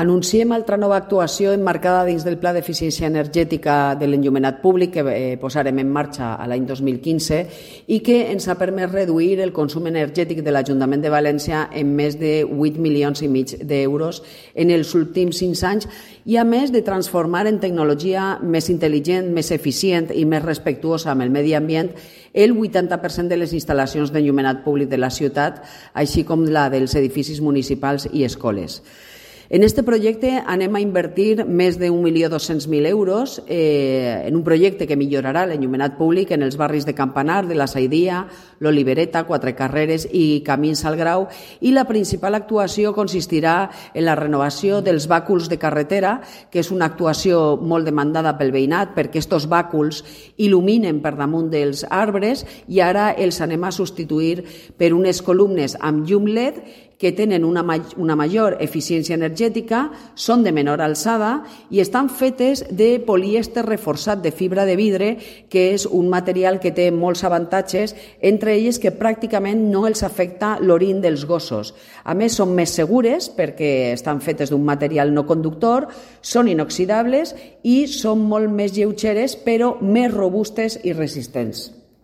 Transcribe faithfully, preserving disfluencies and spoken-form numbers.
Anunciem altra nova actuació emmarcada dins del Pla d'Eficiència Energètica de l'Enllumenat Públic que eh, posarem en marxa a l'any dos mil quinze i que ens ha permès reduir el consum energètic de l'Ajuntament de València en més de vuit milions i mig d'euros en els últims cinc anys i, a més, de transformar en tecnologia més intel·ligent, més eficient i més respectuosa amb el medi ambient el vuitanta per cent de les instal·lacions d'enllumenat públic de la ciutat, així com la dels edificis municipals i escoles. En aquest projecte anem a invertir més d'un milió dos-cents mil euros eh, en un projecte que millorarà l'enllumenat públic en els barris de Campanar, de la Saidia, l'Olivereta, Quatre Carreres i Camins al Grau, i la principal actuació consistirà en la renovació dels bàculs de carretera, que és una actuació molt demandada pel veïnat perquè aquests bàculs il·luminen per damunt dels arbres i ara els anem a substituir per unes columnes amb llum L E D que tenen una, una major eficiència energètica, són de menor alçada i estan fetes de polièster reforçat de fibra de vidre, que és un material que té molts avantatges, entre ells que pràcticament no els afecta l'orin dels gossos. A més, són més segures perquè estan fetes d'un material no conductor, són inoxidables i són molt més lleugeres, però més robustes i resistents.